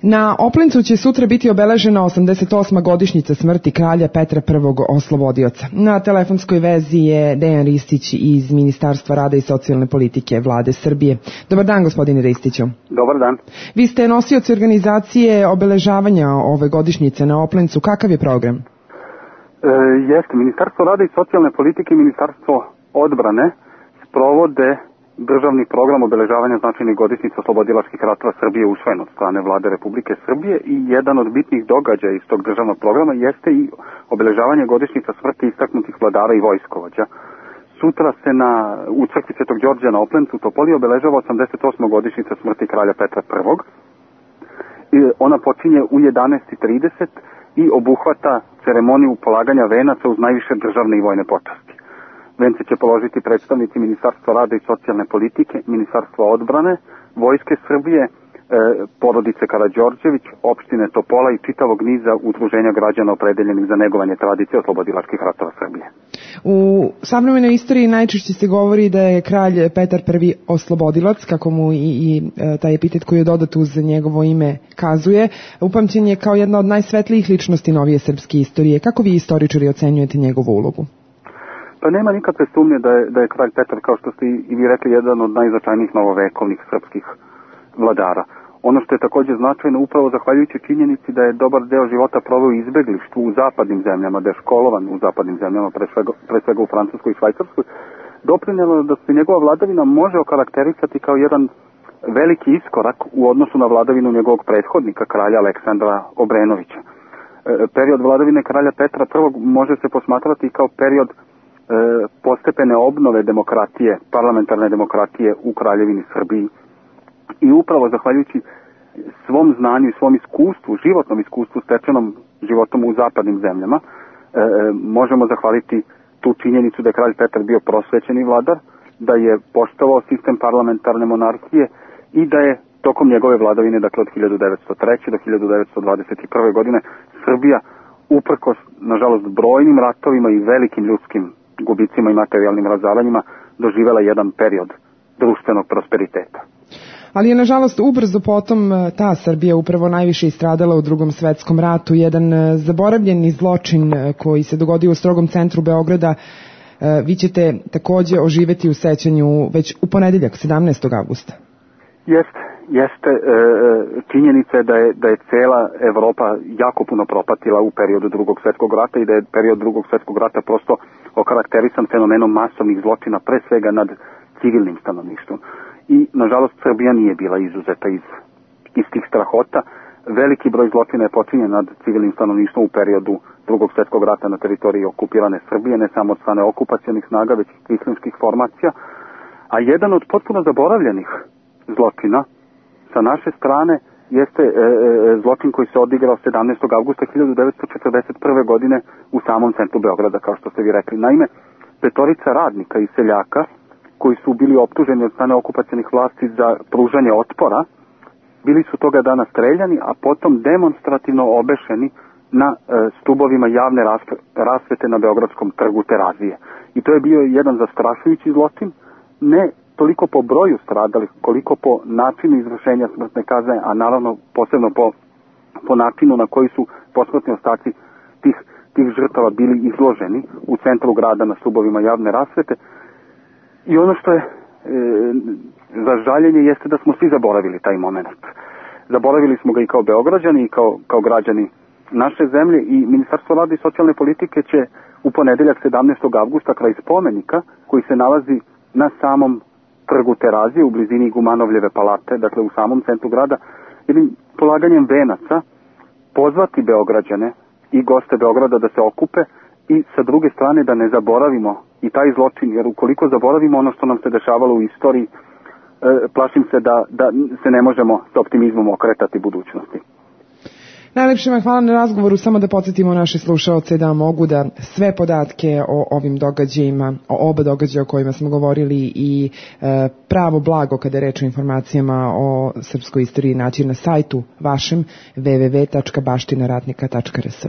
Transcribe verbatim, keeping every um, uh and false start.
Na Oplencu će sutra biti obeležena osamdeset osma godišnjica smrti kralja Petra Prvog Oslobodioca. Na telefonskoj vezi je Dejan Ristić iz Ministarstva rada i socijalne politike Vlade Srbije. Dobar dan, gospodine Ristiću. Dobar dan. Vi ste nosioci organizacije obeležavanja ove godišnjice na Oplencu. Kakav je program? E, jeste, Ministarstvo rada i socijalne politike i Ministarstvo odbrane sprovode državni program obeležavanja značajnih godišnjica oslobodilačkih ratova Srbije usvojen od strane Vlade Republike Srbije i jedan od bitnih događaja iz tog državnog programa jeste i obeležavanje godišnjica smrti istaknutih vladara i vojskovođa. Sutra se na, u crkvi Svetog Đorđa na Oplencu u Topoli obeležava osamdeset osma godišnjica smrti kralja Petra Prvog. I ona počinje u jedanaest i trideset i obuhvata ceremoniju polaganja venaca uz najviše državne i vojne počasti. Vence će položiti predstavnici Ministarstva rada i socijalne politike, Ministarstva odbrane, Vojske Srbije, e, porodice Karađorđević, opštine Topola i čitavog niza udruženja građana opredeljenih za negovanje tradicije oslobodilačkih ratova Srbije. U savremenoj istoriji najčešće se govori da je kralj Petar Prvi oslobodilac, kako mu i, i taj epitet koji je dodat uz njegovo ime kazuje, upamćen je kao jedna od najsvetlijih ličnosti novije srpske istorije. Kako vi istoričari ocenjujete njegovu ulogu? Pa nema nikakve sumnje da je, da je kralj Petar, kao što ste i vi rekli, jedan od najznačajnijih novovekovnih srpskih vladara. Ono što je također značajno, upravo zahvaljujući činjenici da je dobar deo života proveo u izbeglištvu u zapadnim zemljama, da je školovan u zapadnim zemljama, pre svega, pre svega u Francuskoj i Švajcarskoj, doprinjelo da se njegova vladavina može okarakterisati kao jedan veliki iskorak u odnosu na vladavinu njegovog prethodnika, kralja Aleksandra Obrenovića. E, period vladavine kralja Petra Prvog može se posmatrati kao period postepene obnove demokratije, parlamentarne demokratije u Kraljevini Srbiji. I upravo zahvaljujući svom znanju i svom iskustvu, životnom iskustvu stečenom životom u zapadnim zemljama, e, možemo zahvaliti tu činjenicu da je kralj Petar bio prosvećeni vladar, da je poštovao sistem parlamentarne monarhije i da je tokom njegove vladavine, dakle od hiljadu devetsto treće do hiljadu devetsto dvadeset prve godine, Srbija, uprkos, nažalost, brojnim ratovima i velikim ljudskim gubicima i materijalnim razaranjima, doživela jedan period društvenog prosperiteta. Ali je, nažalost, ubrzo potom ta Srbija upravo najviše istradala u Drugom svetskom ratu. Jedan zaboravljeni zločin koji se dogodio u strogom centru Beograda, vi ćete takođe oživeti u sećanju već u ponedeljak, sedamnaestog avgusta. Jeste, jeste. E, činjenica je da je, da je cela Evropa jako puno propatila u periodu Drugog svjetskog rata i da je period Drugog svjetskog rata prosto okarakterisan fenomenom masovnih zločina, pre svega nad civilnim stanovništvom. I, nažalost, Srbija nije bila izuzeta iz, iz tih strahota. Veliki broj zločina je počinjen nad civilnim stanovništvom u periodu Drugog svjetskog rata na teritoriji okupirane Srbije, ne samo od strane okupacionih snaga, već i kvislinskih formacija. A jedan od potpuno zaboravljenih zločina sa naše strane jeste e, e, zločin koji se odigrao sedamnaestog avgusta hiljadu devetsto četrdeset prve godine u samom centru Beograda, kao što ste vi rekli. Naime, petorica radnika i seljaka koji su bili optuženi od strane okupacionih vlasti za pružanje otpora, bili su toga dana streljani, a potom demonstrativno obešeni na e, stubovima javne rasvete na Beogradskom trgu Terazije. I to je bio jedan zastrašujući zločin, ne toliko po broju stradalih, koliko po načinu izvršenja smrtne kazne, a naravno posebno po, po načinu na koji su posmrtni ostaci tih, tih žrtava bili izloženi u centru grada na stubovima javne rasvete. I ono što je e, za žaljenje jeste da smo svi zaboravili taj moment. Zaboravili smo ga i kao Beograđani i kao, kao građani naše zemlje i Ministarstvo rada i socijalne politike će u ponedeljak sedamnaestog avgusta kraj spomenika koji se nalazi na samom trgu Terazije u blizini Gumanovljeve palate, dakle u samom centru grada, jednim polaganjem venaca pozvati Beograđane i goste Beograda da se okupe i sa druge strane da ne zaboravimo i taj zločin, jer ukoliko zaboravimo ono što nam se dešavalo u istoriji, e, plašim se da, da se ne možemo s optimizmom okretati budućnosti. Najlepše vam hvala na razgovoru, samo da podsjetimo naše slušaoce da mogu da sve podatke o ovim događajima, o oba događaja o kojima smo govorili i e, pravo blago kada je reč o informacijama o srpskoj istoriji naći na sajtu vašem w w w tačka baština ratnika tačka r s.